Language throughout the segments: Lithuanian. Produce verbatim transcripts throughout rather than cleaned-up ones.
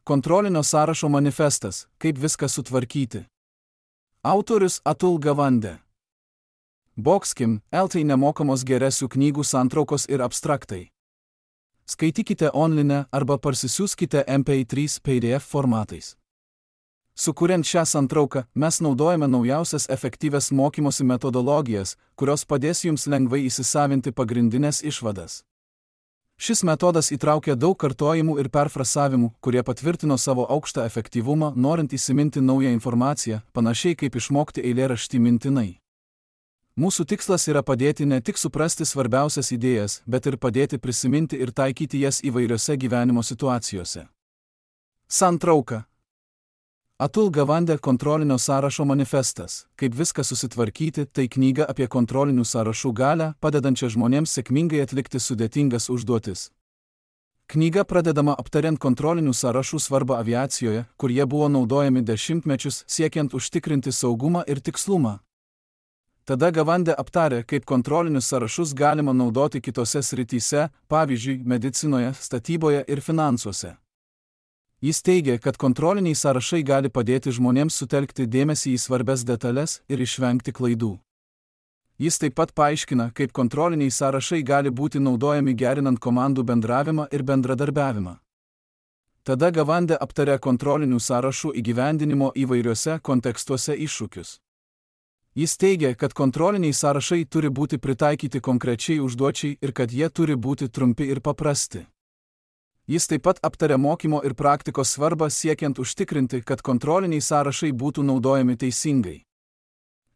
Kontrolinio sąrašo manifestas – kaip viską sutvarkyti. Autorius Atul Gawande. Boxkim, L T nemokamos geresių knygų santraukos ir abstraktai. Skaitykite online arba parsisiųskite M P trys P D F formatais. Sukuriant šią santrauką, mes naudojame naujausias efektyvias mokymosi metodologijas, kurios padės jums lengvai įsisavinti pagrindinės išvadas. Šis metodas įtraukia daug kartojimų ir perfrasavimų, kurie patvirtino savo aukštą efektyvumą, norint įsiminti naują informaciją, panašiai kaip išmokti eilėraštį mintinai. Mūsų tikslas yra padėti ne tik suprasti svarbiausias idėjas, bet ir padėti prisiminti ir taikyti jas įvairiose gyvenimo situacijose. Santrauka. Atul Gawande kontrolinio sąrašo manifestas. Kaip viską susitvarkyti, tai knyga apie kontrolinių sąrašų galią, padedančią žmonėms sėkmingai atlikti sudėtingas užduotis. Knyga pradedama aptariant kontrolinių sąrašų svarbą aviacijoje, kur jie buvo naudojami dešimtmečius siekiant užtikrinti saugumą ir tikslumą. Tada Gawande aptarė, kaip kontrolinius sąrašus galima naudoti kitose srityse, pavyzdžiui, medicinoje, statyboje ir finansuose. Jis teigia, kad kontroliniai sąrašai gali padėti žmonėms sutelkti dėmesį į svarbias detalės ir išvengti klaidų. Jis taip pat paaiškina, kaip kontroliniai sąrašai gali būti naudojami gerinant komandų bendravimą ir bendradarbiavimą. Tada Gawande aptarė kontrolinių sąrašų įgyvendinimo įvairiuose kontekstuose iššūkius. Jis teigia, kad kontroliniai sąrašai turi būti pritaikyti konkrečiai užduočiai ir kad jie turi būti trumpi ir paprasti. Jis taip pat aptarė mokymo ir praktikos svarbą siekiant užtikrinti, kad kontroliniai sąrašai būtų naudojami teisingai.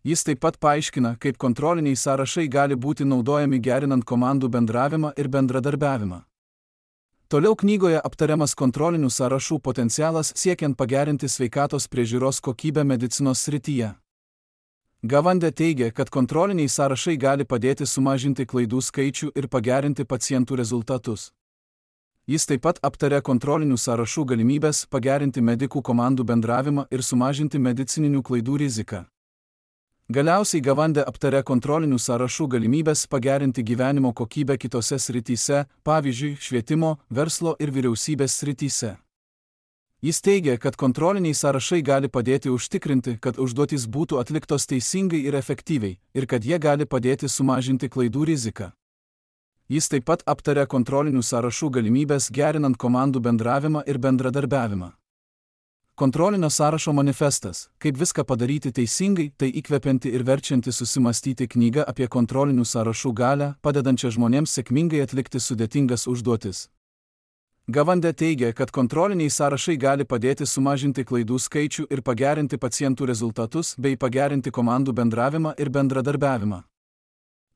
Jis taip pat paaiškina, kaip kontroliniai sąrašai gali būti naudojami gerinant komandų bendravimą ir bendradarbiavimą. Toliau knygoje aptariamas kontrolinių sąrašų potencialas siekiant pagerinti sveikatos priežiūros kokybę medicinos srityje. Gawande teigia, kad kontroliniai sąrašai gali padėti sumažinti klaidų skaičių ir pagerinti pacientų rezultatus. Jis taip pat aptarė kontrolinių sąrašų galimybės pagerinti medikų komandų bendravimą ir sumažinti medicininių klaidų riziką. Galiausiai Gawande aptarė kontrolinių sąrašų galimybės pagerinti gyvenimo kokybę kitose srityse, pavyzdžiui, švietimo, verslo ir vyriausybės srityse. Jis teigia, kad kontroliniai sąrašai gali padėti užtikrinti, kad užduotys būtų atliktos teisingai ir efektyviai, ir kad jie gali padėti sumažinti klaidų riziką. Jis taip pat aptarė kontrolinių sąrašų galimybės gerinant komandų bendravimą ir bendradarbiavimą. Kontrolinio sąrašo manifestas – kaip viską padaryti teisingai, tai įkvepianti ir verčianti susimastyti knyga apie kontrolinių sąrašų galią, padedančią žmonėms sėkmingai atlikti sudėtingas užduotis. Gawande teigia, kad kontroliniai sąrašai gali padėti sumažinti klaidų skaičių ir pagerinti pacientų rezultatus bei pagerinti komandų bendravimą ir bendradarbiavimą.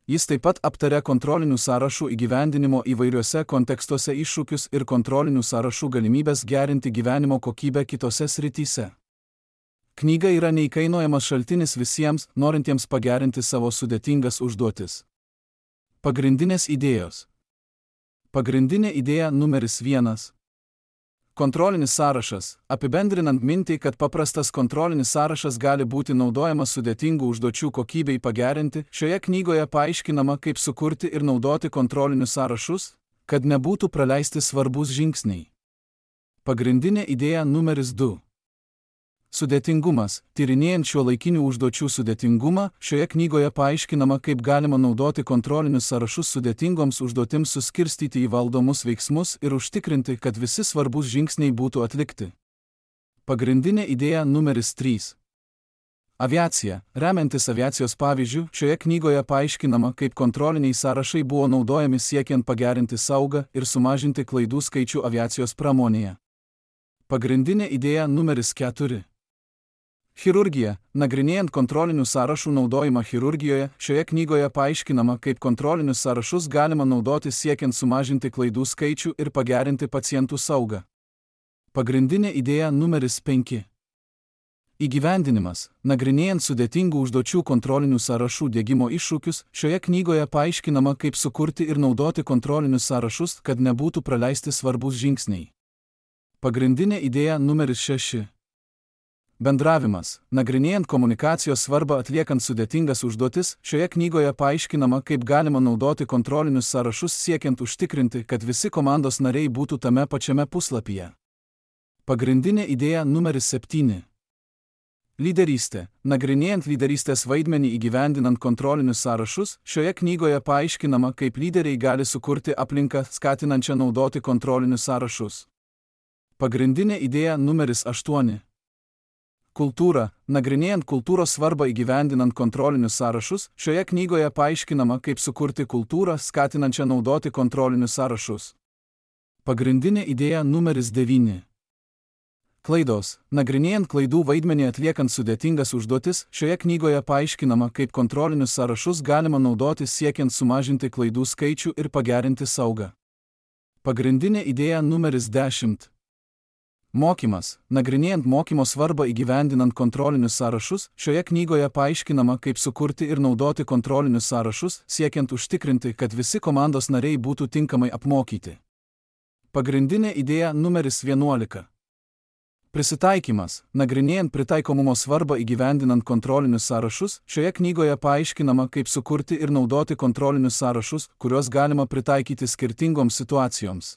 Jis taip pat aptarė kontrolinių sąrašų įgyvendinimo įvairiuose kontekstuose iššūkius ir kontrolinių sąrašų galimybės gerinti gyvenimo kokybę kitose srityse. Knyga yra neįkainojamas šaltinis visiems, norintiems pagerinti savo sudėtingas užduotis. Pagrindinės idėjos. Pagrindinė idėja numeris vienas. Kontrolinis sąrašas. Apibendrinant mintį, kad paprastas kontrolinis sąrašas gali būti naudojamas sudėtingų užduočių kokybei pagerinti, šioje knygoje paaiškinama, kaip sukurti ir naudoti kontrolinius sąrašus, kad nebūtų praleisti svarbus žingsniai. Pagrindinė idėja numeris du. Sudėtingumas. Tyrinėjant šiuolaikinių užduočių sudėtingumą, šioje knygoje paaiškinama, kaip galima naudoti kontrolinius sąrašus sudėtingoms užduotims suskirstyti į valdomus veiksmus ir užtikrinti, kad visi svarbus žingsniai būtų atlikti. Pagrindinė idėja numeris trys. Aviacija. Remiantis aviacijos pavyzdžių, šioje knygoje paaiškinama, kaip kontroliniai sąrašai buvo naudojami siekiant pagerinti saugą ir sumažinti klaidų skaičių aviacijos pramonėje. Pagrindinė idėja numeris keturi. Chirurgija. Nagrinėjant kontrolinių sąrašų naudojimą chirurgijoje, šioje knygoje paaiškinama, kaip kontrolinius sąrašus galima naudoti siekiant sumažinti klaidų skaičių ir pagerinti pacientų saugą. Pagrindinė idėja numeris penki. Įgyvendinimas. Nagrinėjant sudėtingų užduočių kontrolinių sąrašų diegimo iššūkius, šioje knygoje paaiškinama, kaip sukurti ir naudoti kontrolinius sąrašus, kad nebūtų praleisti svarbus žingsniai. Pagrindinė idėja numeris šeši. Bendravimas. Nagrinėjant komunikacijos svarbą atliekant sudėtingas užduotis, šioje knygoje paaiškinama, kaip galima naudoti kontrolinius sąrašus siekiant užtikrinti, kad visi komandos nariai būtų tame pačiame puslapyje. Pagrindinė idėja numeris septyni. Lyderystė. Nagrinėjant lyderystės vaidmenį įgyvendinant kontrolinius sąrašus, šioje knygoje paaiškinama, kaip lyderiai gali sukurti aplinką skatinančią naudoti kontrolinius sąrašus. Pagrindinė idėja numeris aštuoni. Kultūra. Nagrinėjant kultūros svarbą įgyvendinant kontrolinius sąrašus, šioje knygoje paaiškinama, kaip sukurti kultūrą skatinančią naudoti kontrolinius sąrašus. Pagrindinė idėja numeris devyni. Klaidos. Nagrinėjant klaidų vaidmenį atliekant sudėtingas užduotis, šioje knygoje paaiškinama, kaip kontrolinius sąrašus galima naudoti siekiant sumažinti klaidų skaičių ir pagerinti saugą. Pagrindinė idėja numeris dešimt. Mokymas. Nagrinėjant mokymo svarbą įgyvendinant kontrolinius sąrašus, šioje knygoje paaiškinama, kaip sukurti ir naudoti kontrolinius sąrašus, siekiant užtikrinti, kad visi komandos nariai būtų tinkamai apmokyti. Pagrindinė idėja numeris vienuolika. Prisitaikymas. Nagrinėjant pritaikomumo svarbą įgyvendinant kontrolinius sąrašus, šioje knygoje paaiškinama, kaip sukurti ir naudoti kontrolinius sąrašus, kuriuos galima pritaikyti skirtingoms situacijoms.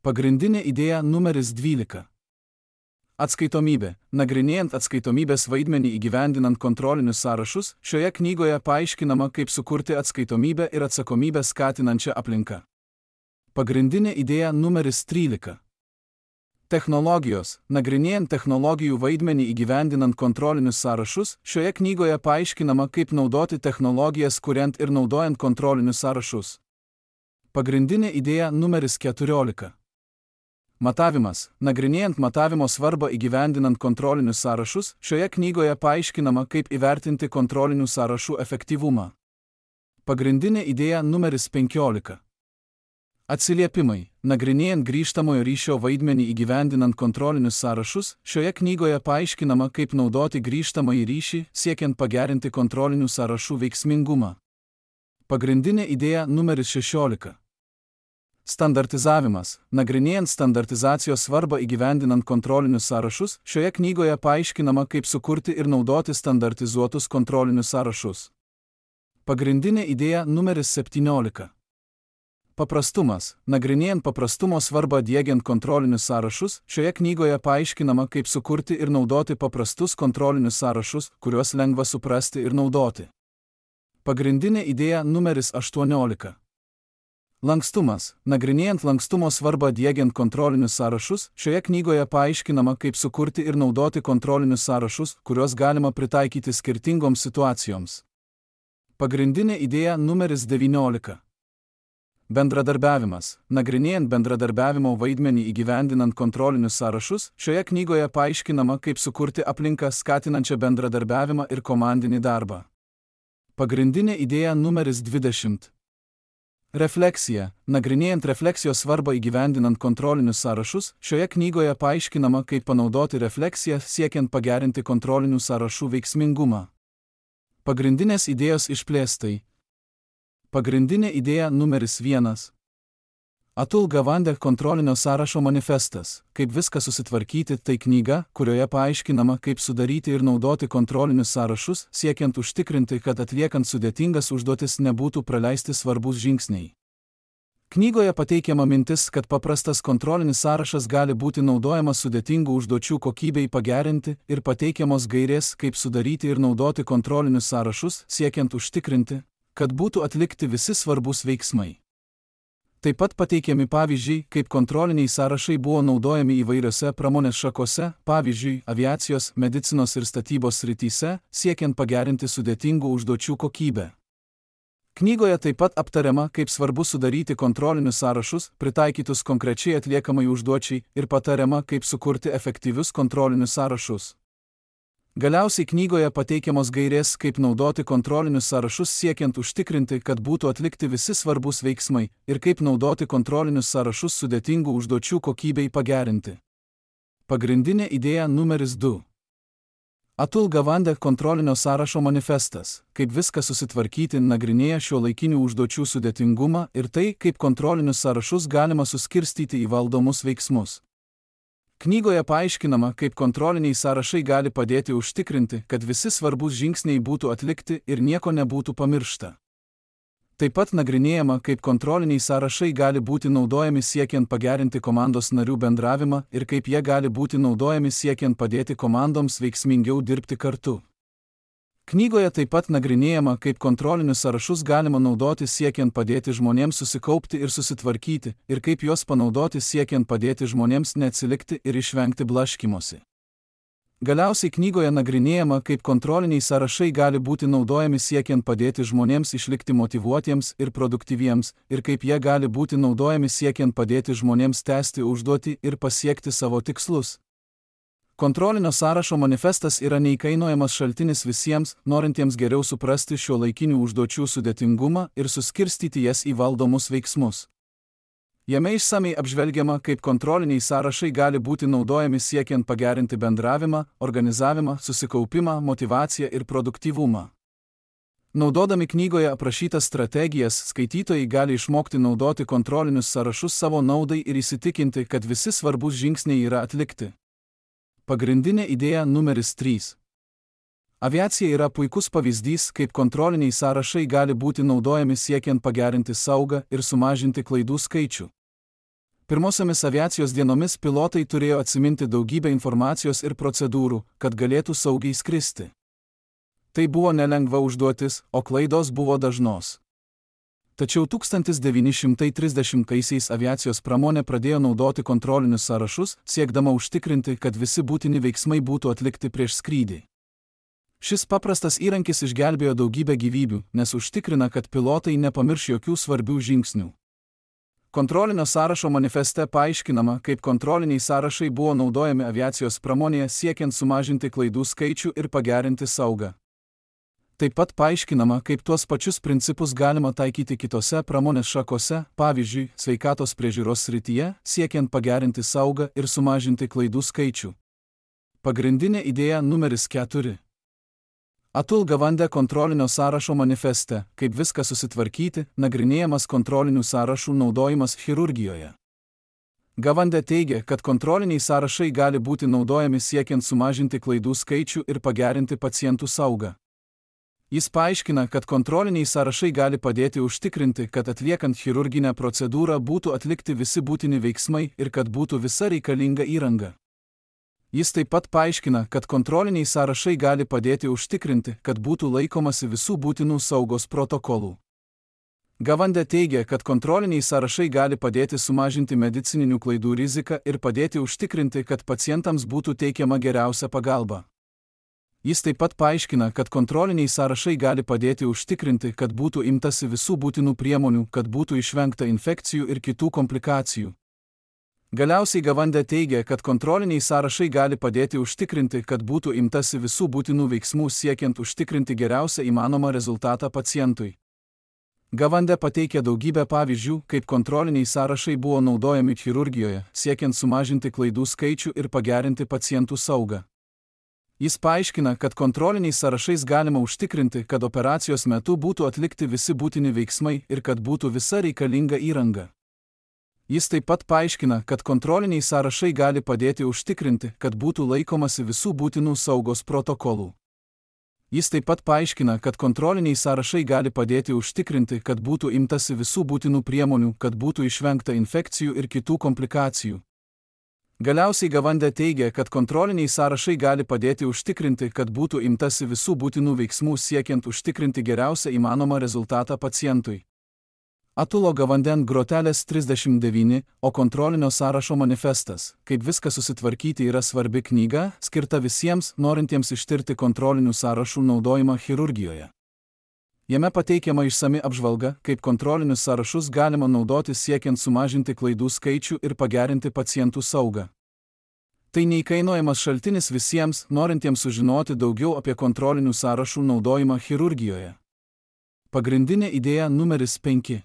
Pagrindinė idėja numeris dvylika. Atskaitomybė. Nagrinėjant atskaitomybės vaidmenį įgyvendinant kontrolinius sąrašus, šioje knygoje paaiškinama, kaip sukurti atskaitomybę ir atsakomybę skatinančią aplinką. Pagrindinė idėja numeris trylika. Technologijos. Nagrinėjant technologijų vaidmenį įgyvendinant kontrolinius sąrašus, šioje knygoje paaiškinama, kaip naudoti technologijas kuriant ir naudojant kontrolinius sąrašus. Pagrindinė idėja numeris keturiolika. Matavimas. Nagrinėjant matavimo svarbą įgyvendinant kontrolinius sąrašus, šioje knygoje paaiškinama, kaip įvertinti kontrolinių sąrašų efektyvumą. Pagrindinė idėja numeris penkiolika. Atsiliepimai. Nagrinėjant grįžtamojo ryšio vaidmenį įgyvendinant kontrolinius sąrašus, šioje knygoje paaiškinama, kaip naudoti grįžtamąjį ryšį, siekiant pagerinti kontrolinių sąrašų veiksmingumą. Pagrindinė idėja numeris šešiolika. Standartizavimas. Nagrinėjant standartizacijos svarbą įgyvendinant kontrolinius sąrašus, šioje knygoje paaiškinama, kaip sukurti ir naudoti standartizuotus kontrolinius sąrašus. Pagrindinė idėja numeris septyniolika. Paprastumas. Nagrinėjant paprastumo svarbą diegiant kontrolinius sąrašus, šioje knygoje paaiškinama, kaip sukurti ir naudoti paprastus kontrolinius sąrašus, kuriuos lengva suprasti ir naudoti. Pagrindinė idėja numeris aštuoniolika. Lankstumas. Nagrinėjant lankstumo svarbą diegiant kontrolinius sąrašus, šioje knygoje paaiškinama, kaip sukurti ir naudoti kontrolinius sąrašus, kuriuos galima pritaikyti skirtingoms situacijoms. Pagrindinė idėja numeris devyniolika. Bendradarbiavimas. Nagrinėjant bendradarbiavimo vaidmenį įgyvendinant kontrolinius sąrašus, šioje knygoje paaiškinama, kaip sukurti aplinką skatinančią bendradarbiavimą ir komandinį darbą. Pagrindinė idėja numeris dvidešimt. Refleksija. Nagrinėjant refleksijos svarbą įgyvendinant kontrolinius sąrašus, šioje knygoje paaiškinama, kaip panaudoti refleksiją siekiant pagerinti kontrolinių sąrašų veiksmingumą. Pagrindinės idėjos išplėstai. Pagrindinė idėja numeris vienas. Atul Gawande kontrolinio sąrašo manifestas. Kaip viską susitvarkyti, tai knyga, kurioje paaiškinama, kaip sudaryti ir naudoti kontrolinius sąrašus, siekiant užtikrinti, kad atliekant sudėtingas užduotis nebūtų praleisti svarbus žingsniai. Knygoje pateikiama mintis, kad paprastas kontrolinis sąrašas gali būti naudojamas sudėtingų užduočių kokybei pagerinti ir pateikiamos gairės, kaip sudaryti ir naudoti kontrolinius sąrašus, siekiant užtikrinti, kad būtų atlikti visi svarbus veiksmai. Taip pat pateikiami pavyzdžiai, kaip kontroliniai sąrašai buvo naudojami įvairiose pramonės šakose, pavyzdžiui, aviacijos, medicinos ir statybos srityse, siekiant pagerinti sudėtingų užduočių kokybę. Knygoje taip pat aptariama, kaip svarbu sudaryti kontrolinius sąrašus, pritaikytus konkrečiai atliekamai užduočiai, ir patariama, kaip sukurti efektyvius kontrolinius sąrašus. Galiausiai knygoje pateikiamos gairės, kaip naudoti kontrolinius sąrašus siekiant užtikrinti, kad būtų atlikti visi svarbus veiksmai, ir kaip naudoti kontrolinius sąrašus sudėtingų užduočių kokybei pagerinti. Pagrindinė idėja numeris du. Atul Gawande kontrolinio sąrašo manifestas. Kaip viską susitvarkyti nagrinėja šiuolaikinių užduočių sudėtingumą ir tai, kaip kontrolinius sąrašus galima suskirstyti į valdomus veiksmus. Knygoje paaiškinama, kaip kontroliniai sąrašai gali padėti užtikrinti, kad visi svarbus žingsniai būtų atlikti ir nieko nebūtų pamiršta. Taip pat nagrinėjama, kaip kontroliniai sąrašai gali būti naudojami siekiant pagerinti komandos narių bendravimą ir kaip jie gali būti naudojami siekiant padėti komandoms veiksmingiau dirbti kartu. Knygoje taip pat nagrinėjama, kaip kontrolinius sąrašus galima naudoti siekiant padėti žmonėms susikaupti ir susitvarkyti, ir kaip juos panaudoti siekiant padėti žmonėms neatsilikti ir išvengti blaškymosi. Galiausiai knygoje nagrinėjama, kaip kontroliniai sąrašai gali būti naudojami siekiant padėti žmonėms išlikti motyvuotiems ir produktyviems, ir kaip jie gali būti naudojami siekiant padėti žmonėms tęsti užduotį ir pasiekti savo tikslus. Kontrolinio sąrašo manifestas yra neįkainojamas šaltinis visiems, norintiems geriau suprasti šiuolaikinių užduočių sudėtingumą ir suskirstyti jas į valdomus veiksmus. Jame išsamiai apžvelgiama, kaip kontroliniai sąrašai gali būti naudojami siekiant pagerinti bendravimą, organizavimą, susikaupimą, motyvaciją ir produktyvumą. Naudodami knygoje aprašytas strategijas, skaitytojai gali išmokti naudoti kontrolinius sąrašus savo naudai ir įsitikinti, kad visi svarbus žingsniai yra atlikti. Pagrindinė idėja numeris trys. Aviacija yra puikus pavyzdys, kaip kontroliniai sąrašai gali būti naudojami siekiant pagerinti saugą ir sumažinti klaidų skaičių. Pirmosiomis aviacijos dienomis pilotai turėjo atsiminti daugybę informacijos ir procedūrų, kad galėtų saugiai skristi. Tai buvo nelengva užduotis, o klaidos buvo dažnos. Tačiau tūkstantis devyni šimtai trisdešimtaisiais aviacijos pramonė pradėjo naudoti kontrolinius sąrašus, siekdama užtikrinti, kad visi būtini veiksmai būtų atlikti prieš skrydį. Šis paprastas įrankis išgelbėjo daugybę gyvybių, nes užtikrina, kad pilotai nepamirš jokių svarbių žingsnių. Kontrolinio sąrašo manifeste paaiškinama, kaip kontroliniai sąrašai buvo naudojami aviacijos pramonėje siekiant sumažinti klaidų skaičių ir pagerinti saugą. Taip pat paaiškinama, kaip tuos pačius principus galima taikyti kitose pramonės šakose, pavyzdžiui, sveikatos priežiūros srityje, siekiant pagerinti saugą ir sumažinti klaidų skaičių. Pagrindinė idėja numeris keturi. Atul Gawande kontrolinio sąrašo manifeste, kaip viską susitvarkyti, nagrinėjamas kontrolinių sąrašų naudojimas chirurgijoje. Gawande teigia, kad kontroliniai sąrašai gali būti naudojami siekiant sumažinti klaidų skaičių ir pagerinti pacientų saugą. Jis paaiškina, kad kontroliniai sąrašai gali padėti užtikrinti, kad atliekant chirurginę procedūrą būtų atlikti visi būtini veiksmai ir kad būtų visa reikalinga įranga. Jis taip pat paaiškina, kad kontroliniai sąrašai gali padėti užtikrinti, kad būtų laikomasi visų būtinų saugos protokolų. Gawande teigia, kad kontroliniai sąrašai gali padėti sumažinti medicininių klaidų riziką ir padėti užtikrinti, kad pacientams būtų teikiama geriausia pagalba. Jis taip pat paaiškina, kad kontroliniai sąrašai gali padėti užtikrinti, kad būtų imtasi visų būtinų priemonių, kad būtų išvengta infekcijų ir kitų komplikacijų. Galiausiai Gawande teigia, kad kontroliniai sąrašai gali padėti užtikrinti, kad būtų imtasi visų būtinų veiksmų siekiant užtikrinti geriausią įmanomą rezultatą pacientui. Gawande pateikia daugybę pavyzdžių, kaip kontroliniai sąrašai buvo naudojami chirurgijoje, siekiant sumažinti klaidų skaičių ir pagerinti pacientų saugą. Jis paaiškina, kad kontroliniais sąrašais galima užtikrinti, kad operacijos metu būtų atlikti visi būtini veiksmai ir kad būtų visa reikalinga įranga. Jis taip pat paaiškina, kad kontroliniai sąrašai gali padėti užtikrinti, kad būtų laikomasi visų būtinų saugos protokolų. Jis taip pat paaiškina, kad kontroliniai sąrašai gali padėti užtikrinti, kad būtų imtasi visų būtinų priemonių, kad būtų išvengta infekcijų ir kitų komplikacijų. Galiausiai Gawande teigia, kad kontroliniai sąrašai gali padėti užtikrinti, kad būtų imtasi visų būtinų veiksmų siekiant užtikrinti geriausią įmanomą rezultatą pacientui. Atulo Gawanden grotelės trisdešimt devyni, o kontrolinio sąrašo manifestas, kaip viską susitvarkyti yra svarbi knyga, skirta visiems, norintiems ištirti kontrolinių sąrašų naudojimą chirurgijoje. Jame pateikiama išsami apžvalga, kaip kontrolinius sąrašus galima naudoti siekiant sumažinti klaidų skaičių ir pagerinti pacientų saugą. Tai neįkainojamas šaltinis visiems, norintiems sužinoti daugiau apie kontrolinių sąrašų naudojimą chirurgijoje. Pagrindinė idėja numeris penki.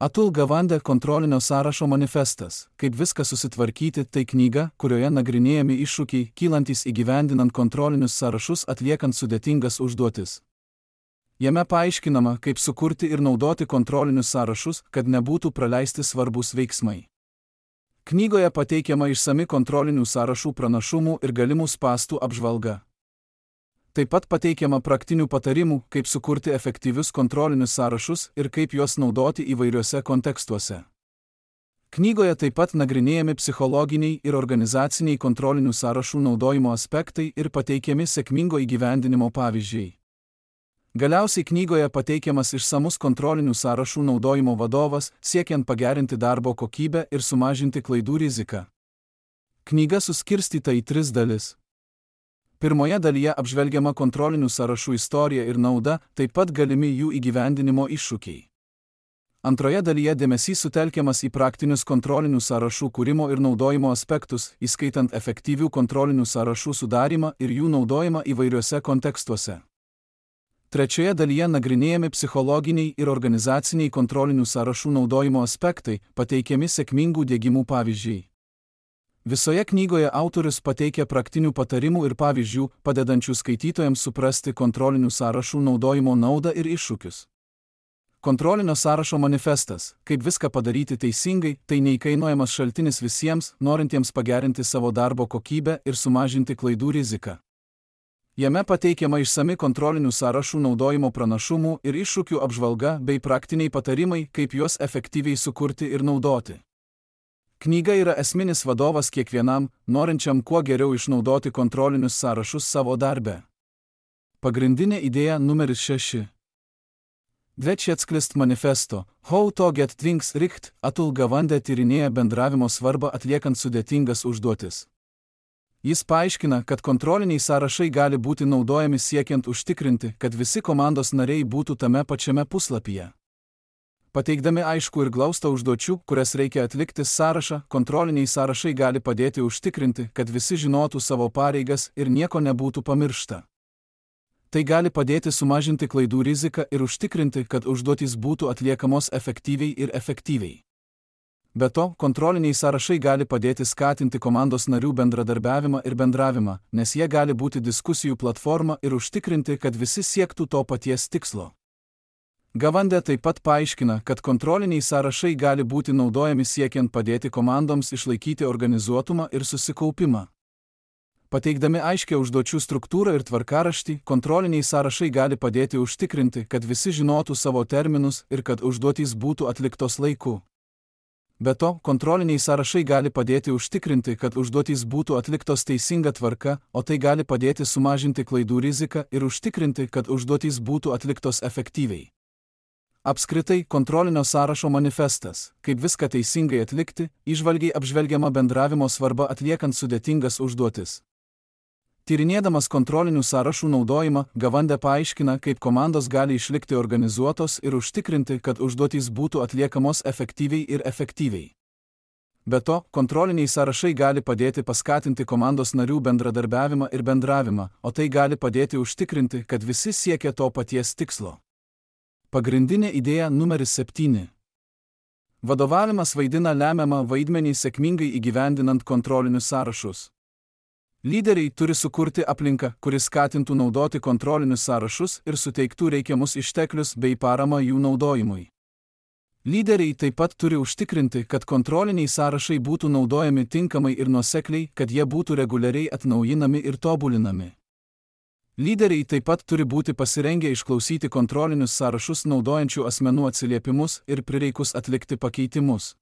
Atul Gawande kontrolinio sąrašo manifestas, kaip viską susitvarkyti, tai knyga, kurioje nagrinėjami iššūkiai, kylantys įgyvendinant kontrolinius sąrašus atliekant sudėtingas užduotis. Jame paaiškinama, kaip sukurti ir naudoti kontrolinius sąrašus, kad nebūtų praleisti svarbus veiksmai. Knygoje pateikiama išsami kontrolinių sąrašų pranašumų ir galimų spąstų apžvalga. Taip pat pateikiama praktinių patarimų, kaip sukurti efektyvius kontrolinius sąrašus ir kaip juos naudoti įvairiuose kontekstuose. Knygoje taip pat nagrinėjami psichologiniai ir organizaciniai kontrolinių sąrašų naudojimo aspektai ir pateikiami sėkmingo įgyvendinimo pavyzdžiai. Galiausiai knygoje pateikiamas išsamus kontrolinių sąrašų naudojimo vadovas, siekiant pagerinti darbo kokybę ir sumažinti klaidų riziką. Knyga suskirstyta į tris dalis. Pirmoje dalyje apžvelgiama kontrolinių sąrašų istorija ir nauda, taip pat galimi jų įgyvendinimo iššūkiai. Antroje dalyje dėmesys sutelkiamas į praktinius kontrolinių sąrašų kūrimo ir naudojimo aspektus, įskaitant efektyvių kontrolinių sąrašų sudarimą ir jų naudojimą įvairiuose kontekstuose. Trečioje dalyje nagrinėjami psichologiniai ir organizaciniai kontrolinių sąrašų naudojimo aspektai, pateikiami sėkmingų diegimų pavyzdžiai. Visoje knygoje autorius pateikia praktinių patarimų ir pavyzdžių, padedančių skaitytojams suprasti kontrolinių sąrašų naudojimo naudą ir iššūkius. Kontrolinio sąrašo manifestas, kaip viską padaryti teisingai, tai neįkainojamas šaltinis visiems, norintiems pagerinti savo darbo kokybę ir sumažinti klaidų riziką. Jame pateikiama išsami kontrolinių sąrašų naudojimo pranašumų ir iššūkių apžvalga bei praktiniai patarimai, kaip juos efektyviai sukurti ir naudoti. Knyga yra esminis vadovas kiekvienam, norinčiam kuo geriau išnaudoti kontrolinius sąrašus savo darbe. Pagrindinė idėja numeris šeši. Dvečiatsklist manifesto, How to get things right, Atul Gawande tyrinėja bendravimo svarbą atliekant sudėtingas užduotis. Jis paaiškina, kad kontroliniai sąrašai gali būti naudojami siekiant užtikrinti, kad visi komandos nariai būtų tame pačiame puslapyje. Pateikdami aišku ir glaustą užduočių, kurias reikia atlikti sąrašą, kontroliniai sąrašai gali padėti užtikrinti, kad visi žinotų savo pareigas ir nieko nebūtų pamiršta. Tai gali padėti sumažinti klaidų riziką ir užtikrinti, kad užduotys būtų atliekamos efektyviai ir efektyviai. Be to, kontroliniai sąrašai gali padėti skatinti komandos narių bendradarbiavimą ir bendravimą, nes jie gali būti diskusijų platforma ir užtikrinti, kad visi siektų to paties tikslo. Gawande taip pat paaiškina, kad kontroliniai sąrašai gali būti naudojami siekiant padėti komandoms išlaikyti organizuotumą ir susikaupimą. Pateikdami aiškią užduočių struktūrą ir tvarkaraštį, kontroliniai sąrašai gali padėti užtikrinti, kad visi žinotų savo terminus ir kad užduotys būtų atliktos laiku. Be to, kontroliniai sąrašai gali padėti užtikrinti, kad užduotys būtų atliktos teisinga tvarka, o tai gali padėti sumažinti klaidų riziką ir užtikrinti, kad užduotys būtų atliktos efektyviai. Apskritai, kontrolinio sąrašo manifestas, kaip viską teisingai atlikti, įžvalgiai apžvelgiama bendravimo svarba atliekant sudėtingas užduotis. Tyrinėdamas kontrolinių sąrašų naudojimą, Gawande paaiškina, kaip komandos gali išlikti organizuotos ir užtikrinti, kad užduotys būtų atliekamos efektyviai ir efektyviai. Be to, kontroliniai sąrašai gali padėti paskatinti komandos narių bendradarbiavimą ir bendravimą, o tai gali padėti užtikrinti, kad visi siekia to paties tikslo. Pagrindinė idėja numeris septyni. Vadovavimas vaidina lemiamą vaidmenį sėkmingai įgyvendinant kontrolinius sąrašus. Lyderiai turi sukurti aplinką, kuris skatintų naudoti kontrolinius sąrašus ir suteiktų reikiamus išteklius bei paramą jų naudojimui. Lyderiai taip pat turi užtikrinti, kad kontroliniai sąrašai būtų naudojami tinkamai ir nuosekliai, kad jie būtų reguliariai atnaujinami ir tobulinami. Lyderiai taip pat turi būti pasirengę išklausyti kontrolinius sąrašus naudojančių asmenų atsiliepimus ir prireikus atlikti pakeitimus.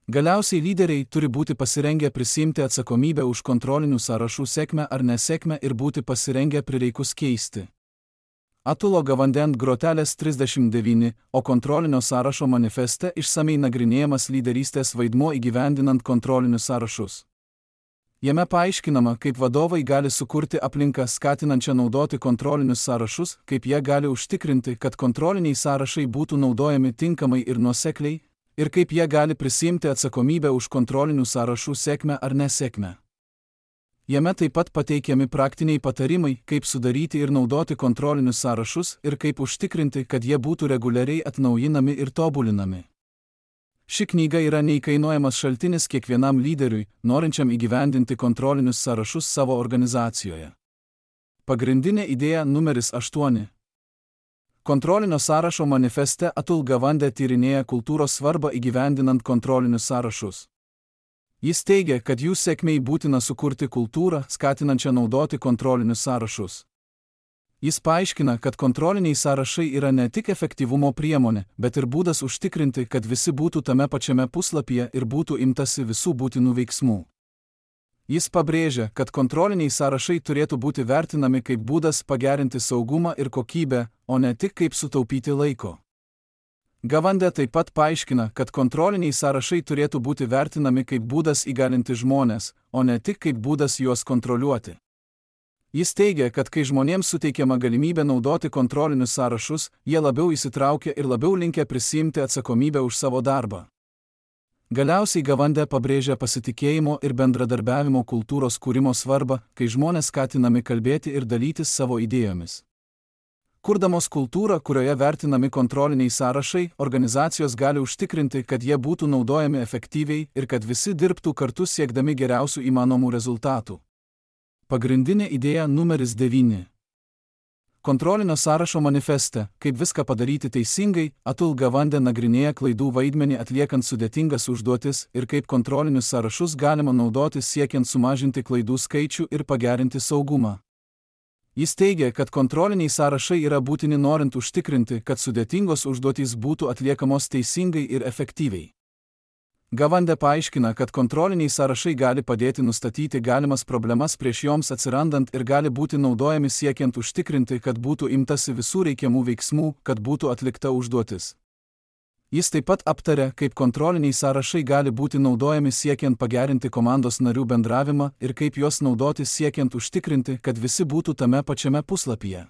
Galiausiai lyderiai turi būti pasirengę prisiimti atsakomybę už kontrolinių sąrašų sėkmę ar nesėkmę ir būti pasirengę prireikus keisti. Atulo Gawande grotelės trisdešimt devyni, o kontrolinio sąrašo manifeste išsamei nagrinėjamas lyderystės vaidmuo įgyvendinant kontrolinius sąrašus. Jame paaiškinama, kaip vadovai gali sukurti aplinką skatinančią naudoti kontrolinius sąrašus, kaip jie gali užtikrinti, kad kontroliniai sąrašai būtų naudojami tinkamai ir nuosekliai, ir kaip jie gali prisiimti atsakomybę už kontrolinių sąrašų sėkmę ar nesėkmę. Jame taip pat pateikiami praktiniai patarimai, kaip sudaryti ir naudoti kontrolinius sąrašus ir kaip užtikrinti, kad jie būtų reguliariai atnaujinami ir tobulinami. Ši knyga yra neįkainojamas šaltinis kiekvienam lyderiui, norinčiam įgyvendinti kontrolinius sąrašus savo organizacijoje. Pagrindinė idėja numeris aštuoni. Kontrolinio sąrašo manifeste Atul Gawande tyrinėja kultūros svarbą įgyvendinant kontrolinius sąrašus. Jis teigia, kad jų sėkmei būtina sukurti kultūrą, skatinančią naudoti kontrolinius sąrašus. Jis paaiškina, kad kontroliniai sąrašai yra ne tik efektyvumo priemonė, bet ir būdas užtikrinti, kad visi būtų tame pačiame puslapyje ir būtų imtasi visų būtinų veiksmų. Jis pabrėžia, kad kontroliniai sąrašai turėtų būti vertinami kaip būdas pagerinti saugumą ir kokybę, o ne tik kaip sutaupyti laiko. Gavande taip pat paaiškina, kad kontroliniai sąrašai turėtų būti vertinami kaip būdas įgalinti žmones, o ne tik kaip būdas juos kontroliuoti. Jis teigia, kad kai žmonėms suteikiama galimybė naudoti kontrolinius sąrašus, jie labiau įsitraukia ir labiau linkę prisiimti atsakomybę už savo darbą. Galiausiai Gavande pabrėžia pasitikėjimo ir bendradarbiavimo kultūros kūrimo svarbą, kai žmonės skatinami kalbėti ir dalytis savo idėjomis. Kurdamos kultūrą, kurioje vertinami kontroliniai sąrašai, organizacijos gali užtikrinti, kad jie būtų naudojami efektyviai ir kad visi dirbtų kartu siekdami geriausių įmanomų rezultatų. Pagrindinė idėja numeris devyni. Kontrolinio sąrašo manifeste, kaip viską padaryti teisingai, Atul Gavande nagrinėja klaidų vaidmenį atliekant sudėtingas užduotis ir kaip kontrolinius sąrašus galima naudoti siekiant sumažinti klaidų skaičių ir pagerinti saugumą. Jis teigia, kad kontroliniai sąrašai yra būtini norint užtikrinti, kad sudėtingos užduotys būtų atliekamos teisingai ir efektyviai. Gavande paaiškina, kad kontroliniai sąrašai gali padėti nustatyti galimas problemas prieš joms atsirandant ir gali būti naudojami siekiant užtikrinti, kad būtų imtasi visų reikiamų veiksmų, kad būtų atlikta užduotis. Jis taip pat aptarė, kaip kontroliniai sąrašai gali būti naudojami siekiant pagerinti komandos narių bendravimą ir kaip juos naudoti siekiant užtikrinti, kad visi būtų tame pačiame puslapyje.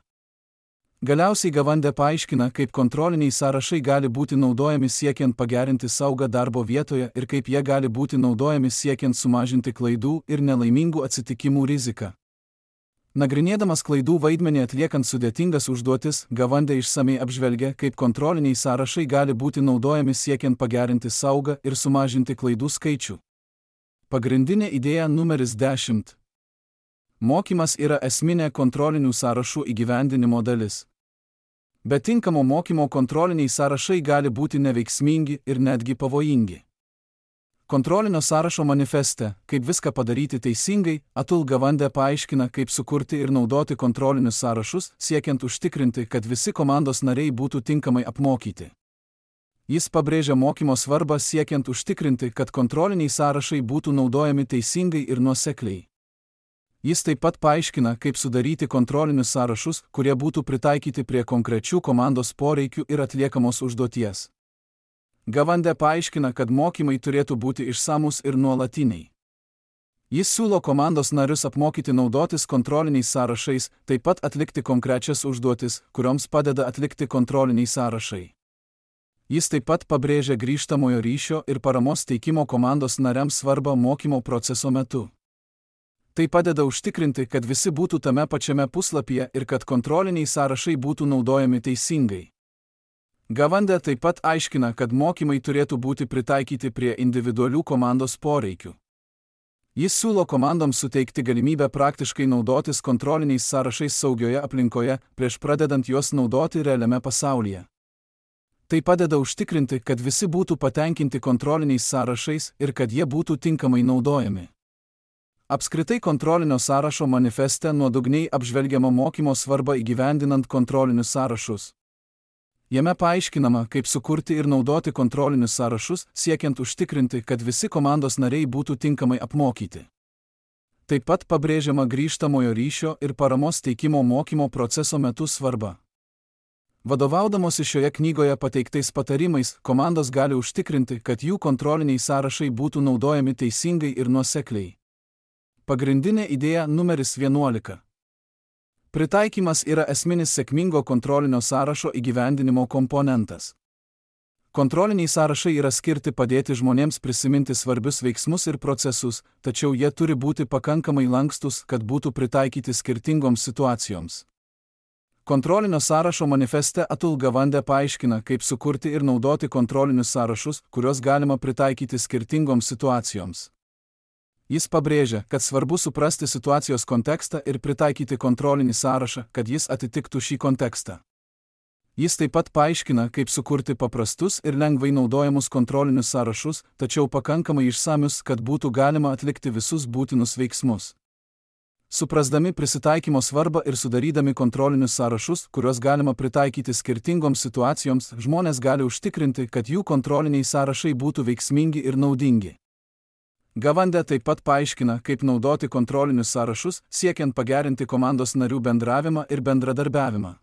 Galiausiai Gavande paaiškina, kaip kontroliniai sąrašai gali būti naudojami siekiant pagerinti saugą darbo vietoje ir kaip jie gali būti naudojami siekiant sumažinti klaidų ir nelaimingų atsitikimų riziką. Nagrinėdamas klaidų vaidmenį atliekant sudėtingas užduotis, Gavande išsamei apžvelgia, kaip kontroliniai sąrašai gali būti naudojami siekiant pagerinti saugą ir sumažinti klaidų skaičių. Pagrindinė idėja numeris dešimt. Mokymas yra esminė kontrolinių sąrašų įgyvendinimo dalis. Be tinkamo mokymo kontroliniai sąrašai gali būti neveiksmingi ir netgi pavojingi. Kontrolinio sąrašo manifeste, kaip viską padaryti teisingai, Atul Gavande paaiškina, kaip sukurti ir naudoti kontrolinius sąrašus, siekiant užtikrinti, kad visi komandos nariai būtų tinkamai apmokyti. Jis pabrėžia mokymo svarbą siekiant užtikrinti, kad kontroliniai sąrašai būtų naudojami teisingai ir nuosekliai. Jis taip pat paaiškina, kaip sudaryti kontrolinius sąrašus, kurie būtų pritaikyti prie konkrečių komandos poreikių ir atliekamos užduoties. Gavande paaiškina, kad mokymai turėtų būti išsamus ir nuolatiniai. Jis siūlo komandos narius apmokyti naudotis kontroliniais sąrašais, taip pat atlikti konkrečias užduotis, kurioms padeda atlikti kontroliniai sąrašai. Jis taip pat pabrėžia grįžtamojo ryšio ir paramos teikimo komandos nariams svarbą mokymo proceso metu. Tai padeda užtikrinti, kad visi būtų tame pačiame puslapyje ir kad kontroliniai sąrašai būtų naudojami teisingai. Gavande taip pat aiškina, kad mokymai turėtų būti pritaikyti prie individualių komandos poreikių. Jis siūlo komandoms suteikti galimybę praktiškai naudotis kontroliniais sąrašais saugioje aplinkoje, prieš pradedant juos naudoti realiame pasaulyje. Tai padeda užtikrinti, kad visi būtų patenkinti kontroliniais sąrašais ir kad jie būtų tinkamai naudojami. Apskritai kontrolinio sąrašo manifeste nuodugniai apžvelgiama mokymo svarba įgyvendinant kontrolinius sąrašus. Jame paaiškinama, kaip sukurti ir naudoti kontrolinius sąrašus, siekiant užtikrinti, kad visi komandos nariai būtų tinkamai apmokyti. Taip pat pabrėžiama grįžtamojo ryšio ir paramos teikimo mokymo proceso metu svarba. Vadovaudamosi šioje knygoje pateiktais patarimais, komandos gali užtikrinti, kad jų kontroliniai sąrašai būtų naudojami teisingai ir nuosekliai. Pagrindinė idėja numeris vienuolika. Pritaikymas yra esminis sėkmingo kontrolinio sąrašo įgyvendinimo komponentas. Kontroliniai sąrašai yra skirti padėti žmonėms prisiminti svarbius veiksmus ir procesus, tačiau jie turi būti pakankamai lankstus, kad būtų pritaikyti skirtingoms situacijoms. Kontrolinio sąrašo manifeste Atul Gavande paaiškina, kaip sukurti ir naudoti kontrolinius sąrašus, kuriuos galima pritaikyti skirtingoms situacijoms. Jis pabrėžia, kad svarbu suprasti situacijos kontekstą ir pritaikyti kontrolinį sąrašą, kad jis atitiktų šį kontekstą. Jis taip pat paaiškina, kaip sukurti paprastus ir lengvai naudojamus kontrolinius sąrašus, tačiau pakankamai išsamius, kad būtų galima atlikti visus būtinus veiksmus. Suprasdami prisitaikymo svarbą ir sudarydami kontrolinius sąrašus, kuriuos galima pritaikyti skirtingoms situacijoms, žmonės gali užtikrinti, kad jų kontroliniai sąrašai būtų veiksmingi ir naudingi. Gavande taip pat paaiškina, kaip naudoti kontrolinius sąrašus, siekiant pagerinti komandos narių bendravimą ir bendradarbiavimą.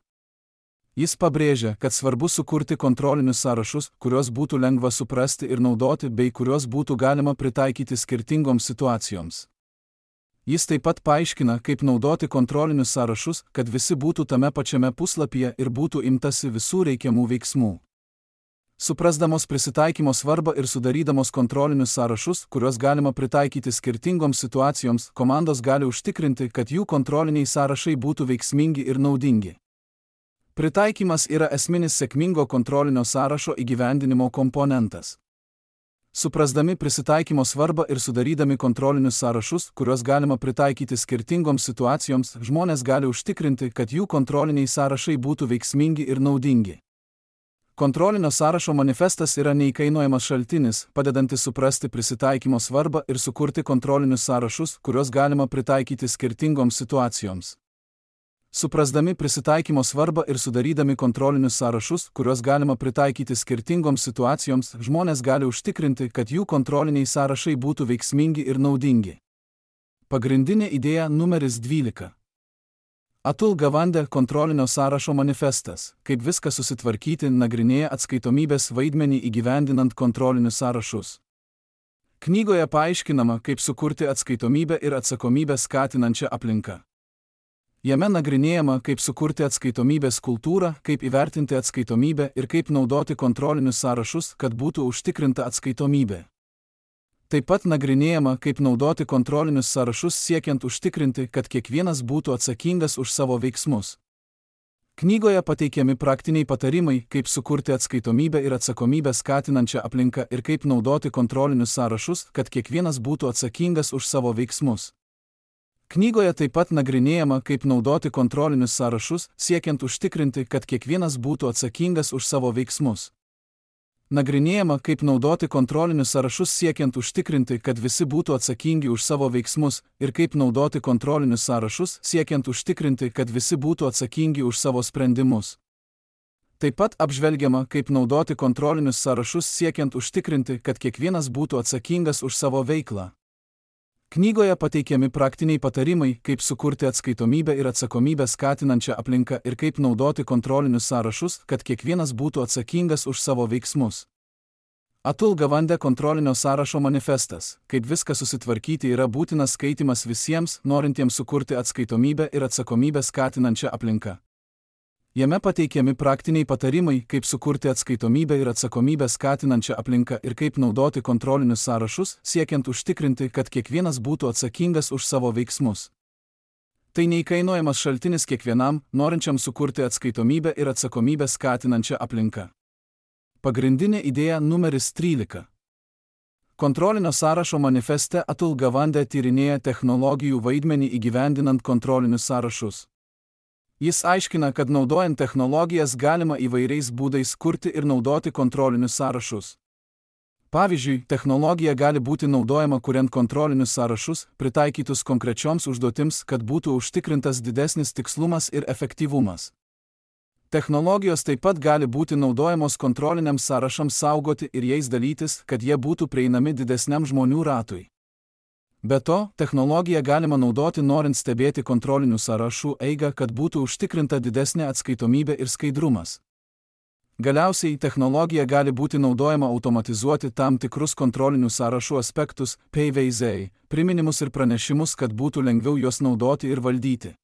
Jis pabrėžia, kad svarbu sukurti kontrolinius sąrašus, kuriuos būtų lengva suprasti ir naudoti, bei kuriuos būtų galima pritaikyti skirtingoms situacijoms. Jis taip pat paaiškina, kaip naudoti kontrolinius sąrašus, kad visi būtų tame pačiame puslapyje ir būtų imtasi visų reikiamų veiksmų. Suprasdamos prisitaikymo svarbą ir sudarydamos kontrolinius sąrašus, kuriuos galima pritaikyti skirtingoms situacijoms, komandos gali užtikrinti, kad jų kontroliniai sąrašai būtų veiksmingi ir naudingi. Pritaikymas yra esminis sėkmingo kontrolinio sąrašo įgyvendinimo komponentas. Suprasdami prisitaikymo svarbą ir sudarydami kontrolinius sąrašus, kuriuos galima pritaikyti skirtingoms situacijoms, žmonės gali užtikrinti, kad jų kontroliniai sąrašai būtų veiksmingi ir naudingi. Kontrolinio sąrašo manifestas yra neįkainojamas šaltinis, padedantis suprasti prisitaikymo svarbą ir sukurti kontrolinius sąrašus, kuriuos galima pritaikyti skirtingoms situacijoms. Suprasdami prisitaikymo svarbą ir sudarydami kontrolinius sąrašus, kuriuos galima pritaikyti skirtingoms situacijoms, žmonės gali užtikrinti, kad jų kontroliniai sąrašai būtų veiksmingi ir naudingi. Pagrindinė idėja numeris dvylika. Atul Gavande kontrolinio sąrašo manifestas, kaip viską susitvarkyti, nagrinėja atskaitomybės vaidmenį įgyvendinant kontrolinius sąrašus. Knygoje paaiškinama, kaip sukurti atskaitomybę ir atsakomybę skatinančią aplinką. Jame nagrinėjama, kaip sukurti atskaitomybės kultūrą, kaip įvertinti atskaitomybę ir kaip naudoti kontrolinius sąrašus, kad būtų užtikrinta atskaitomybė. Taip pat nagrinėjama, kaip naudoti kontrolinius sąrašus siekiant užtikrinti, kad kiekvienas būtų atsakingas už savo veiksmus. Knygoje pateikiami praktiniai patarimai, kaip sukurti atskaitomybę ir atsakomybę skatinančią aplinką ir kaip naudoti kontrolinius sąrašus, kad kiekvienas būtų atsakingas už savo veiksmus. Knygoje taip pat nagrinėjama, kaip naudoti kontrolinius sąrašus, siekiant užtikrinti, kad kiekvienas būtų atsakingas už savo veiksmus. Nagrinėjama, kaip naudoti kontrolinius sąrašus siekiant užtikrinti, kad visi būtų atsakingi už savo veiksmus, ir kaip naudoti kontrolinius sąrašus siekiant užtikrinti, kad visi būtų atsakingi už savo sprendimus. Taip pat apžvelgiama, kaip naudoti kontrolinius sąrašus siekiant užtikrinti, kad kiekvienas būtų atsakingas už savo veiklą. Knygoje pateikiami praktiniai patarimai, kaip sukurti atskaitomybę ir atsakomybę skatinančią aplinką ir kaip naudoti kontrolinius sąrašus, kad kiekvienas būtų atsakingas už savo veiksmus. Atul Gavande kontrolinio sąrašo manifestas, kaip viską susitvarkyti, yra būtinas skaitimas visiems, norintiems sukurti atskaitomybę ir atsakomybę skatinančią aplinką. Jame pateikiami praktiniai patarimai, kaip sukurti atskaitomybę ir atsakomybę skatinančią aplinką ir kaip naudoti kontrolinius sąrašus, siekiant užtikrinti, kad kiekvienas būtų atsakingas už savo veiksmus. Tai neįkainojamas šaltinis kiekvienam, norinčiam sukurti atskaitomybę ir atsakomybę skatinančią aplinką. Pagrindinė idėja numeris trylika. Kontrolinio sąrašo manifeste Atul Gavande tyrinėja technologijų vaidmenį įgyvendinant kontrolinius sąrašus. Jis aiškina, kad naudojant technologijas galima įvairiais būdais kurti ir naudoti kontrolinius sąrašus. Pavyzdžiui, technologija gali būti naudojama kuriant kontrolinius sąrašus, pritaikytus konkrečioms užduotims, kad būtų užtikrintas didesnis tikslumas ir efektyvumas. Technologijos taip pat gali būti naudojamos kontroliniams sąrašams saugoti ir jais dalytis, kad jie būtų prieinami didesniam žmonių ratui. Be to, technologiją galima naudoti norint stebėti kontrolinių sąrašų eigą, kad būtų užtikrinta didesnė atskaitomybė ir skaidrumas. Galiausiai, technologija gali būti naudojama automatizuoti tam tikrus kontrolinių sąrašų aspektus, P V Z, priminimus ir pranešimus, kad būtų lengviau juos naudoti ir valdyti.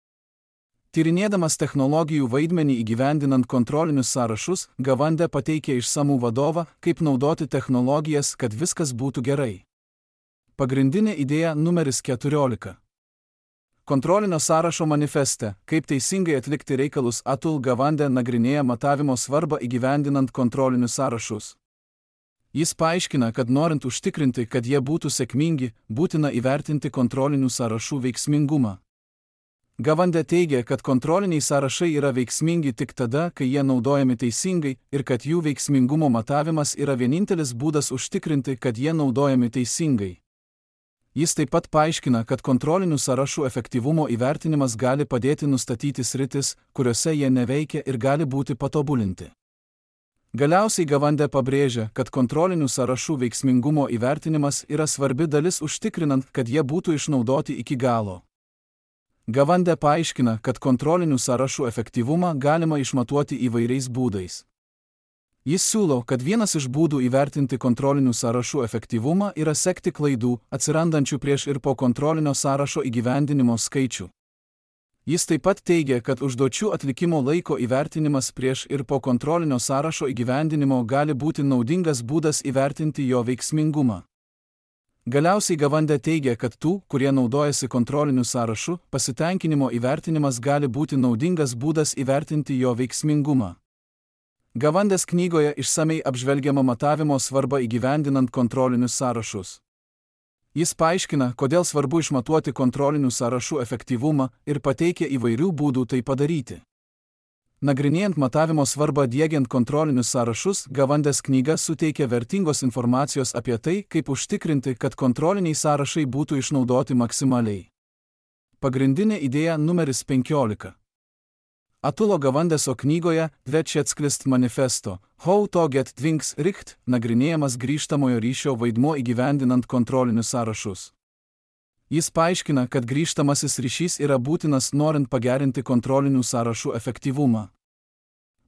Tyrinėdamas technologijų vaidmenį įgyvendinant kontrolinius sąrašus, Gavande pateikė išsamų vadovą, kaip naudoti technologijas, kad viskas būtų gerai. Pagrindinė idėja numeris keturiolika. Kontrolinio sąrašo manifeste, kaip teisingai atlikti reikalus, Atul Gavande nagrinėja matavimo svarbą įgyvendinant kontrolinius sąrašus. Jis paaiškina, kad norint užtikrinti, kad jie būtų sėkmingi, būtina įvertinti kontrolinių sąrašų veiksmingumą. Gavande teigia, kad kontroliniai sąrašai yra veiksmingi tik tada, kai jie naudojami teisingai ir kad jų veiksmingumo matavimas yra vienintelis būdas užtikrinti, kad jie naudojami teisingai. Jis taip pat paaiškina, kad kontrolinių sąrašų efektyvumo įvertinimas gali padėti nustatyti sritis, kuriuose jie neveikia ir gali būti patobulinti. Galiausiai Gavande pabrėžia, kad kontrolinių sąrašų veiksmingumo įvertinimas yra svarbi dalis užtikrinant, kad jie būtų išnaudoti iki galo. Gavande paaiškina, kad kontrolinių sąrašų efektyvumą galima išmatuoti įvairiais būdais. Jis siūlo, kad vienas iš būdų įvertinti kontrolinių sąrašų efektyvumą yra sekti klaidų, atsirandančių prieš ir po kontrolinio sąrašo įgyvendinimo skaičių. Jis taip pat teigia, kad užduočių atlikimo laiko įvertinimas prieš ir po kontrolinio sąrašo įgyvendinimo gali būti naudingas būdas įvertinti jo veiksmingumą. Galiausiai Gavande teigia, kad tų, kurie naudojasi kontroliniu sąrašu, pasitenkinimo įvertinimas gali būti naudingas būdas įvertinti jo veiksmingumą. Gavandės knygoje išsamei apžvelgiama matavimo svarba įgyvendinant kontrolinius sąrašus. Jis paaiškina, kodėl svarbu išmatuoti kontrolinių sąrašų efektyvumą ir pateikia įvairių būdų tai padaryti. Nagrinėjant matavimo svarbą diegiant kontrolinius sąrašus, Gavandės knyga suteikia vertingos informacijos apie tai, kaip užtikrinti, kad kontroliniai sąrašai būtų išnaudoti maksimaliai. Pagrindinė idėja numeris penkiolika. Atulo Gavandeso knygoje Dvečetsklist manifesto How to get things right nagrinėjamas grįžtamojo ryšio vaidmuo įgyvendinant kontrolinius sąrašus. Jis paaiškina, kad grįžtamasis ryšys yra būtinas norint pagerinti kontrolinių sąrašų efektyvumą.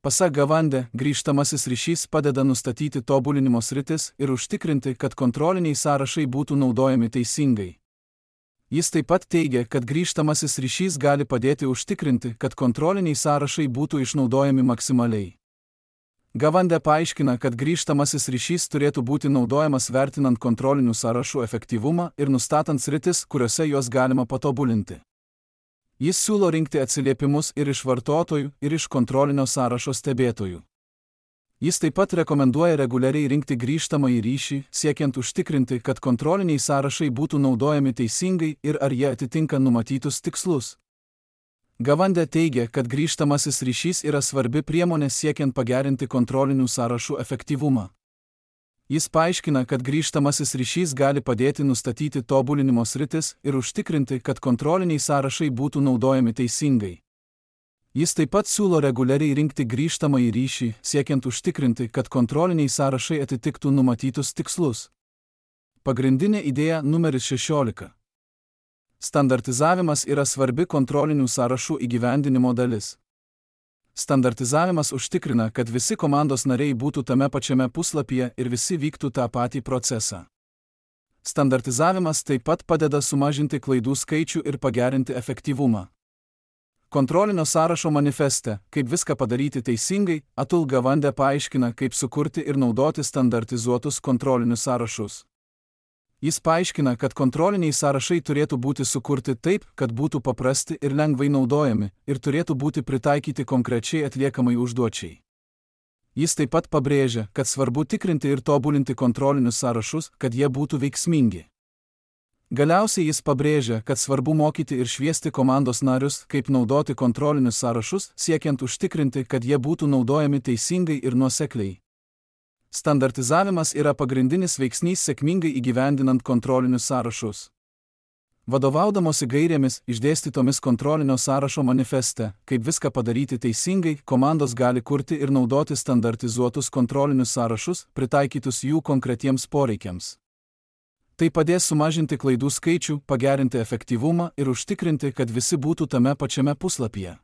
Pasak Gavande, grįžtamasis ryšys padeda nustatyti tobulinimo sritis ir užtikrinti, kad kontroliniai sąrašai būtų naudojami teisingai. Jis taip pat teigia, kad grįžtamasis ryšys gali padėti užtikrinti, kad kontroliniai sąrašai būtų išnaudojami maksimaliai. Gavande paaiškina, kad grįžtamasis ryšys turėtų būti naudojamas vertinant kontrolinių sąrašų efektyvumą ir nustatant sritis, kuriuose juos galima patobulinti. Jis siūlo rinkti atsiliepimus ir iš vartotojų, ir iš kontrolinio sąrašo stebėtojų. Jis taip pat rekomenduoja reguliariai rinkti grįžtamąjį ryšį, siekiant užtikrinti, kad kontroliniai sąrašai būtų naudojami teisingai ir ar jie atitinka numatytus tikslus. Gavande teigia, kad grįžtamasis ryšys yra svarbi priemonė siekiant pagerinti kontrolinių sąrašų efektyvumą. Jis paaiškina, kad grįžtamasis ryšys gali padėti nustatyti tobulinimo sritis ir užtikrinti, kad kontroliniai sąrašai būtų naudojami teisingai. Jis taip pat siūlo reguliariai rinkti grįžtamąjį ryšį, siekiant užtikrinti, kad kontroliniai sąrašai atitiktų numatytus tikslus. Pagrindinė idėja numeris šešiolika. Standartizavimas yra svarbi kontrolinių sąrašų įgyvendinimo dalis. Standartizavimas užtikrina, kad visi komandos nariai būtų tame pačiame puslapyje ir visi vyktų tą patį procesą. Standartizavimas taip pat padeda sumažinti klaidų skaičių ir pagerinti efektyvumą. Kontrolinio sąrašo manifeste, kaip viską padaryti teisingai, Atul Gavande paaiškina, kaip sukurti ir naudoti standartizuotus kontrolinius sąrašus. Jis paaiškina, kad kontroliniai sąrašai turėtų būti sukurti taip, kad būtų paprasti ir lengvai naudojami, ir turėtų būti pritaikyti konkrečiai atliekamai užduočiai. Jis taip pat pabrėžia, kad svarbu tikrinti ir tobulinti kontrolinius sąrašus, kad jie būtų veiksmingi. Galiausiai jis pabrėžia, kad svarbu mokyti ir šviesti komandos narius, kaip naudoti kontrolinius sąrašus, siekiant užtikrinti, kad jie būtų naudojami teisingai ir nuosekliai. Standartizavimas yra pagrindinis veiksnys sėkmingai įgyvendinant kontrolinius sąrašus. Vadovaudamosi gairėmis išdėstytomis kontrolinio sąrašo manifeste, kaip viską padaryti teisingai, komandos gali kurti ir naudoti standartizuotus kontrolinius sąrašus, pritaikytus jų konkretiems poreikiams. Tai padės sumažinti klaidų skaičių, pagerinti efektyvumą ir užtikrinti, kad visi būtų tame pačiame puslapyje.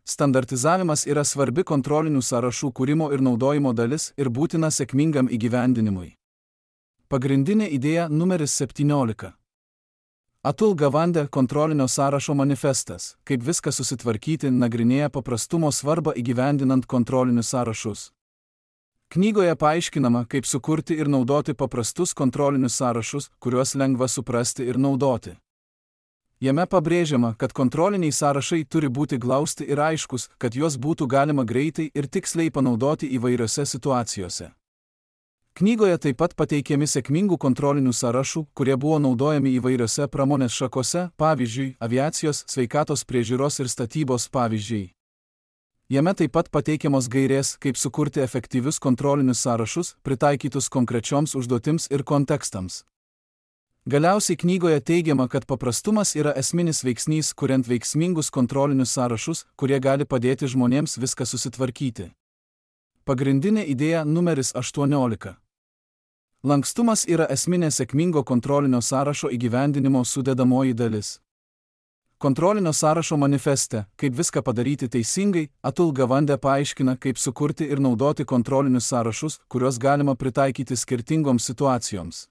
Standartizavimas yra svarbi kontrolinių sąrašų kūrimo ir naudojimo dalis ir būtina sėkmingam įgyvendinimui. Pagrindinė idėja numeris septyniolika. Atul Gavande kontrolinio sąrašo manifestas, kaip viską susitvarkyti, nagrinėja paprastumo svarbą įgyvendinant kontrolinius sąrašus. Knygoje paaiškinama, kaip sukurti ir naudoti paprastus kontrolinius sąrašus, kuriuos lengva suprasti ir naudoti. Jame pabrėžiama, kad kontroliniai sąrašai turi būti glausti ir aiškus, kad juos būtų galima greitai ir tiksliai panaudoti įvairiose situacijose. Knygoje taip pat pateikiami sėkmingų kontrolinių sąrašų, kurie buvo naudojami įvairiose pramonės šakose, pavyzdžiui, aviacijos, sveikatos priežiūros ir statybos pavyzdžiai. Jame taip pat pateikiamos gairės, kaip sukurti efektyvius kontrolinius sąrašus, pritaikytus konkrečioms užduotims ir kontekstams. Galiausiai knygoje teigiama, kad paprastumas yra esminis veiksnys, kuriant veiksmingus kontrolinius sąrašus, kurie gali padėti žmonėms viską susitvarkyti. Pagrindinė idėja numeris aštuoniolika. Lankstumas yra esminė sėkmingo kontrolinio sąrašo įgyvendinimo sudedamoji dalis. Kontrolinio sąrašo manifeste, kaip viską padaryti teisingai, Atul Gawande paaiškina, kaip sukurti ir naudoti kontrolinius sąrašus, kuriuos galima pritaikyti skirtingoms situacijoms.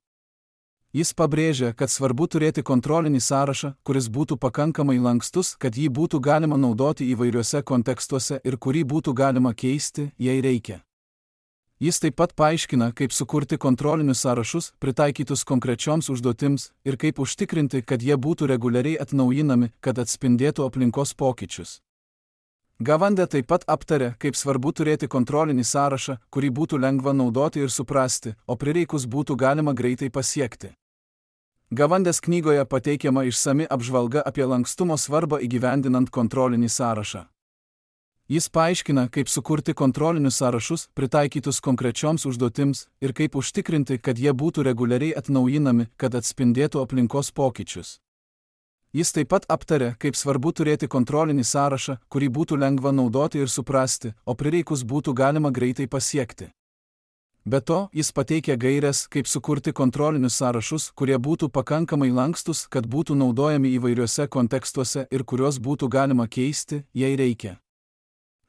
Jis pabrėžia, kad svarbu turėti kontrolinį sąrašą, kuris būtų pakankamai lankstus, kad jį būtų galima naudoti įvairiuose kontekstuose ir kurį būtų galima keisti, jei reikia. Jis taip pat paaiškina, kaip sukurti kontrolinius sąrašus, pritaikytus konkrečioms užduotims, ir kaip užtikrinti, kad jie būtų reguliariai atnaujinami, kad atspindėtų aplinkos pokyčius. Gawande taip pat aptarė, kaip svarbu turėti kontrolinį sąrašą, kurį būtų lengva naudoti ir suprasti, o prireikus būtų galima greitai pasiekti. Gawandės knygoje pateikiama išsami apžvalga apie lankstumo svarbą įgyvendinant kontrolinį sąrašą. Jis paaiškina, kaip sukurti kontrolinius sąrašus, pritaikytus konkrečioms užduotims, ir kaip užtikrinti, kad jie būtų reguliariai atnaujinami, kad atspindėtų aplinkos pokyčius. Jis taip pat aptarė, kaip svarbu turėti kontrolinį sąrašą, kurį būtų lengva naudoti ir suprasti, o prireikus būtų galima greitai pasiekti. Be to, jis pateikė gaires, kaip sukurti kontrolinius sąrašus, kurie būtų pakankamai lankstus, kad būtų naudojami įvairiuose kontekstuose ir kuriuos būtų galima keisti, jei reikia.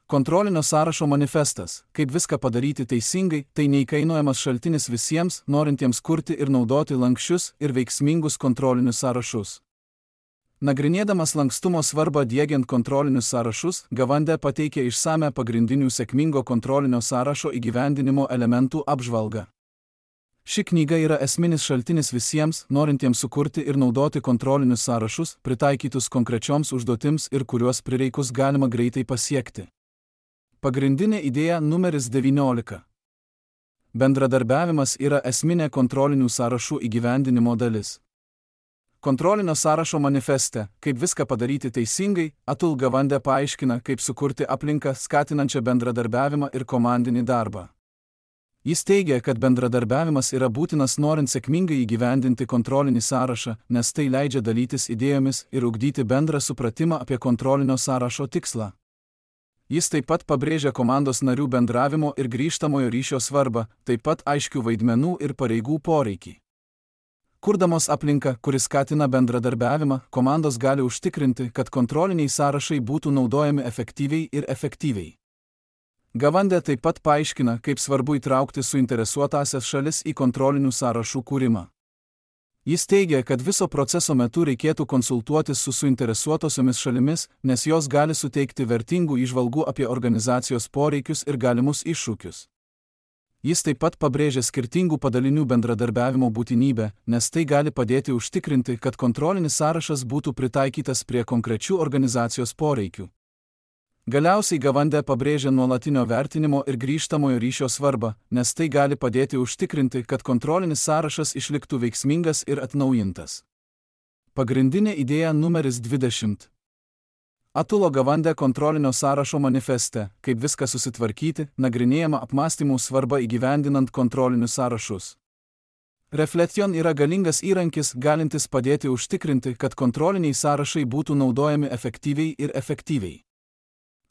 Kontrolinio sąrašo manifestas, kaip viską padaryti teisingai, tai neįkainojamas šaltinis visiems, norintiems kurti ir naudoti lanksčius ir veiksmingus kontrolinius sąrašus. Nagrinėdamas lankstumo svarbą diegiant kontrolinius sąrašus, Gawande pateikė išsame pagrindinių sėkmingo kontrolinio sąrašo įgyvendinimo elementų apžvalgą. Ši knyga yra esminis šaltinis visiems, norintiems sukurti ir naudoti kontrolinius sąrašus, pritaikytus konkrečioms užduotims ir kuriuos prireikus galima greitai pasiekti. Pagrindinė idėja numeris devyniolika. Bendradarbiavimas yra esminė kontrolinių sąrašų įgyvendinimo dalis. Kontrolinio sąrašo manifeste, kaip viską padaryti teisingai, Atul Gawande paaiškina, kaip sukurti aplinką skatinančią bendradarbiavimą ir komandinį darbą. Jis teigia, kad bendradarbiavimas yra būtinas norint sėkmingai įgyvendinti kontrolinį sąrašą, nes tai leidžia dalytis idėjomis ir ugdyti bendrą supratimą apie kontrolinio sąrašo tikslą. Jis taip pat pabrėžia komandos narių bendravimo ir grįžtamojo ryšio svarbą, taip pat aiškių vaidmenų ir pareigų poreikį. Kurdamos aplinką, kuris skatina bendradarbiavimą, komandos gali užtikrinti, kad kontroliniai sąrašai būtų naudojami efektyviai ir efektyviai. Gawande taip pat paaiškina, kaip svarbu įtraukti suinteresuotąsias šalis į kontrolinių sąrašų kūrimą. Jis teigia, kad viso proceso metu reikėtų konsultuotis su suinteresuotosiomis šalimis, nes jos gali suteikti vertingų įžvalgų apie organizacijos poreikius ir galimus iššūkius. Jis taip pat pabrėžia skirtingų padalinių bendradarbiavimo būtinybę, nes tai gali padėti užtikrinti, kad kontrolinis sąrašas būtų pritaikytas prie konkrečių organizacijos poreikių. Galiausiai Gawande pabrėžia nuolatinio vertinimo ir grįžtamojo ryšio svarbą, nes tai gali padėti užtikrinti, kad kontrolinis sąrašas išliktų veiksmingas ir atnaujintas. Pagrindinė idėja numeris dvidešimt. Atulo Gawande kontrolinio sąrašo manifeste, kaip viską susitvarkyti, nagrinėjama apmąstymų svarba įgyvendinant kontrolinius sąrašus. Reflection yra galingas įrankis, galintis padėti užtikrinti, kad kontroliniai sąrašai būtų naudojami efektyviai ir efektyviai.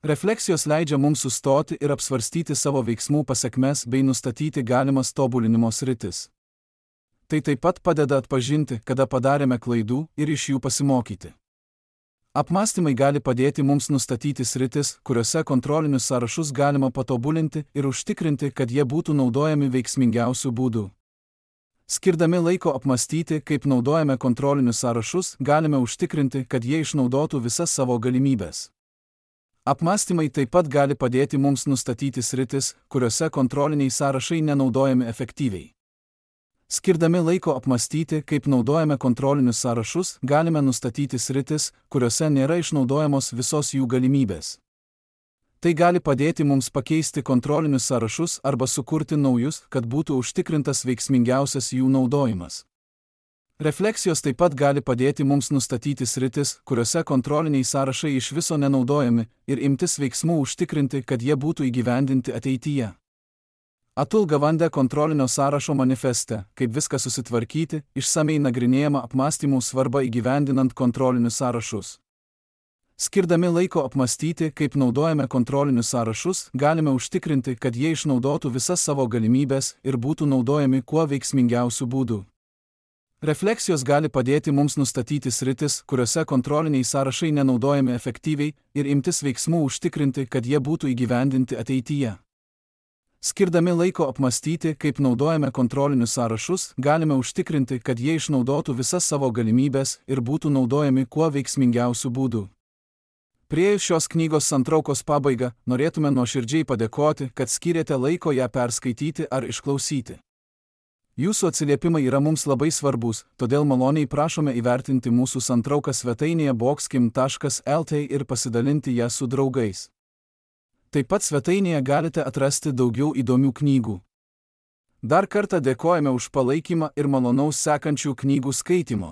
Refleksijos leidžia mums sustoti ir apsvarstyti savo veiksmų pasekmes bei nustatyti galimas tobulinimo sritis. Tai taip pat padeda atpažinti, kada padarėme klaidų ir iš jų pasimokyti. Apmąstymai gali padėti mums nustatyti sritis, kuriuose kontrolinius sąrašus galima patobulinti ir užtikrinti, kad jie būtų naudojami veiksmingiausių būdų. Skirdami laiko apmąstyti, kaip naudojame kontrolinius sąrašus, galime užtikrinti, kad jie išnaudotų visas savo galimybes. Apmąstymai taip pat gali padėti mums nustatyti sritis, kuriuose kontroliniai sąrašai nenaudojami efektyviai. Skirdami laiko apmąstyti, kaip naudojame kontrolinius sąrašus, galime nustatyti sritis, kuriuose nėra išnaudojamos visos jų galimybės. Tai gali padėti mums pakeisti kontrolinius sąrašus arba sukurti naujus, kad būtų užtikrintas veiksmingiausias jų naudojimas. Refleksijos taip pat gali padėti mums nustatyti sritis, kuriuose kontroliniai sąrašai iš viso nenaudojami, ir imtis veiksmų užtikrinti, kad jie būtų įgyvendinti ateityje. Atul Gawande kontrolinio sąrašo manifeste, kaip viską susitvarkyti, išsamei nagrinėjama apmąstymų svarba įgyvendinant kontrolinius sąrašus. Skirdami laiko apmąstyti, kaip naudojame kontrolinius sąrašus, galime užtikrinti, kad jie išnaudotų visas savo galimybės ir būtų naudojami kuo veiksmingiausių būdų. Refleksijos gali padėti mums nustatyti sritis, kuriuose kontroliniai sąrašai nenaudojami efektyviai ir imtis veiksmų užtikrinti, kad jie būtų įgyvendinti ateityje. Skirdami laiko apmąstyti, kaip naudojame kontrolinius sąrašus, galime užtikrinti, kad jie išnaudotų visas savo galimybės ir būtų naudojami kuo veiksmingiausių būdų. Priėjus šios knygos santraukos pabaigą, norėtume nuoširdžiai padėkoti, kad skyrėte laiko ją perskaityti ar išklausyti. Jūsų atsiliepimai yra mums labai svarbus, todėl maloniai prašome įvertinti mūsų santrauką svetainėje boxkim taškas lt ir pasidalinti ją su draugais. Taip pat svetainėje galite atrasti daugiau įdomių knygų. Dar kartą dėkojame už palaikymą ir malonaus sekančių knygų skaitimo.